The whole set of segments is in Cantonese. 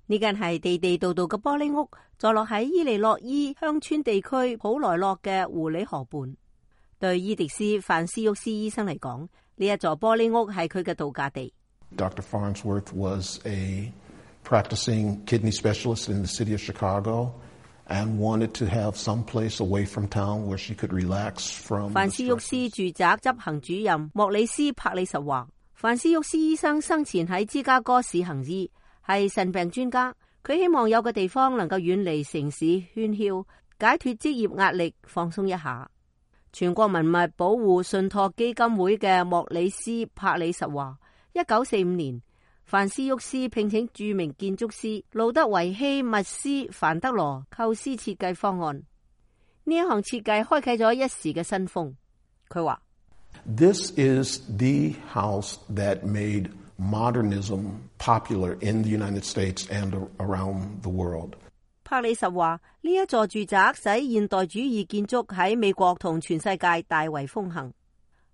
呢間係地地道道嘅玻璃屋，坐落喺伊利諾伊鄉村地區普萊洛嘅狐狸河畔。對伊迪斯·范斯沃斯醫生嚟講，呢一座玻璃屋係佢嘅度假地。Dr. Farnsworth was a practicing kidney specialist in the city of Chicago and wanted to have some place away from town where she could relax from. 范斯沃斯住宅執行主任莫里斯·帕里什話，范斯沃斯醫生生前喺芝加哥市行醫，係腎病專家。佢希望有個地方能夠遠離城市喧囂，解脫職業壓力，放鬆一下。全國文物保護信託基金會嘅莫里斯·帕里什話，1945年，范斯沃斯聘請著名建築師路德維希·密斯·凡德羅構思設計方案。呢一項設計開啟咗一時嘅新風。佢話 This is the house that made modernism popular in the United States and around the world. 帕里什話，呢一座住宅使現代主義建築喺美國同全世界大為風行。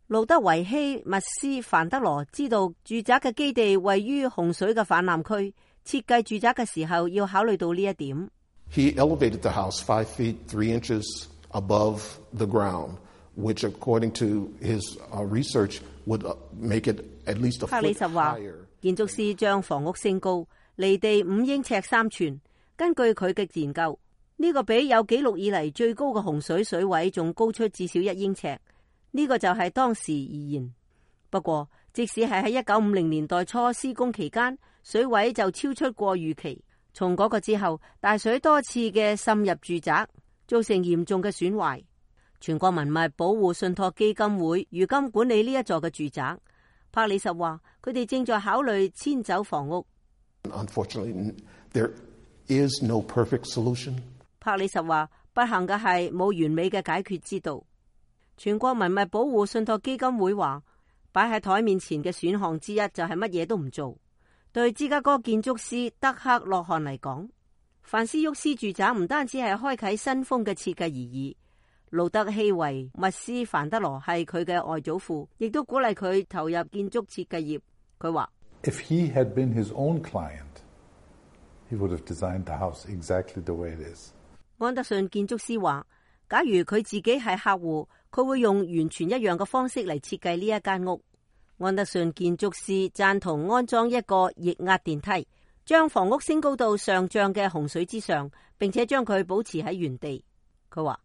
路德維希·密斯·凡德羅知道住宅嘅基地位於洪水嘅泛濫區，設計住宅嘅時候要考慮到呢一點。He elevated the house 5 feet 3 inches above the ground, which according to his research would make it at least a 帕里 foot 什話， higher. 建築師將房屋升高，離地5英尺3寸。根據佢嘅研究，呢個比有紀錄以嚟最高嘅洪水水位仲高出至少1英尺。呢個就係當時而言。不過，即使係喺1950年代初施工期間，水位就超出過預期。從嗰個之後，大水多次嘅滲入住宅，造成嚴重嘅損壞。全國文物保護信託基金會如今管理呢一座嘅住宅。帕里什話，佢哋正在考慮遷走房屋。Unfortunately, there is no perfect solution. 帕里什話，不幸嘅係冇完美嘅解決之道。全國文物保護信託基金會話，擺喺台面前嘅選項之一就係乜嘢都唔做。對芝加哥建築師德克洛漢嚟講，范斯沃斯住宅唔單止係開啟新風嘅設計而已。路德希維密斯凡德羅係佢嘅外祖父，亦都鼓勵佢投入建築設計業。佢話 If he had been his own client, he would have designed the house exactly the way it is. 安德遜建築師話，假如佢自己係客戶，佢會用完全一樣嘅方式嚟設計呢一間屋。安德遜建築師贊同安裝一個液壓電梯，將房屋升高到上漲嘅洪水之上，並且將佢保持喺原地。佢話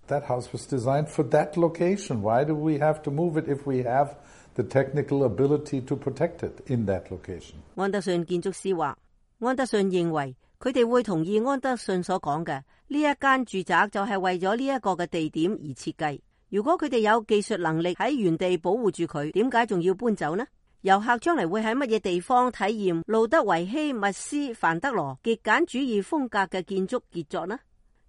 That house was designed for that location. Why do we have to move it if we have the technical ability to protect it in that location? 安德遜建築師話，安德遜認為佢哋會同意安德遜所講嘅，呢一間住宅就係為咗呢一個嘅地點而設計。如果佢哋有技術能力喺原地保護住佢，點解仲要搬走呢？遊客將嚟會喺乜嘢地方體驗路德維希密斯凡德羅極簡主義風格嘅建築傑作呢？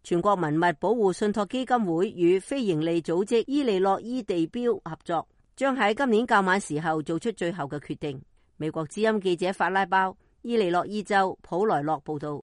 全國文物保護信託基金會與非營利組織伊利諾伊地標合作，將喺今年較晚時候做出最後嘅決定。美國之音記者法拉包，伊利諾伊州普萊洛報道。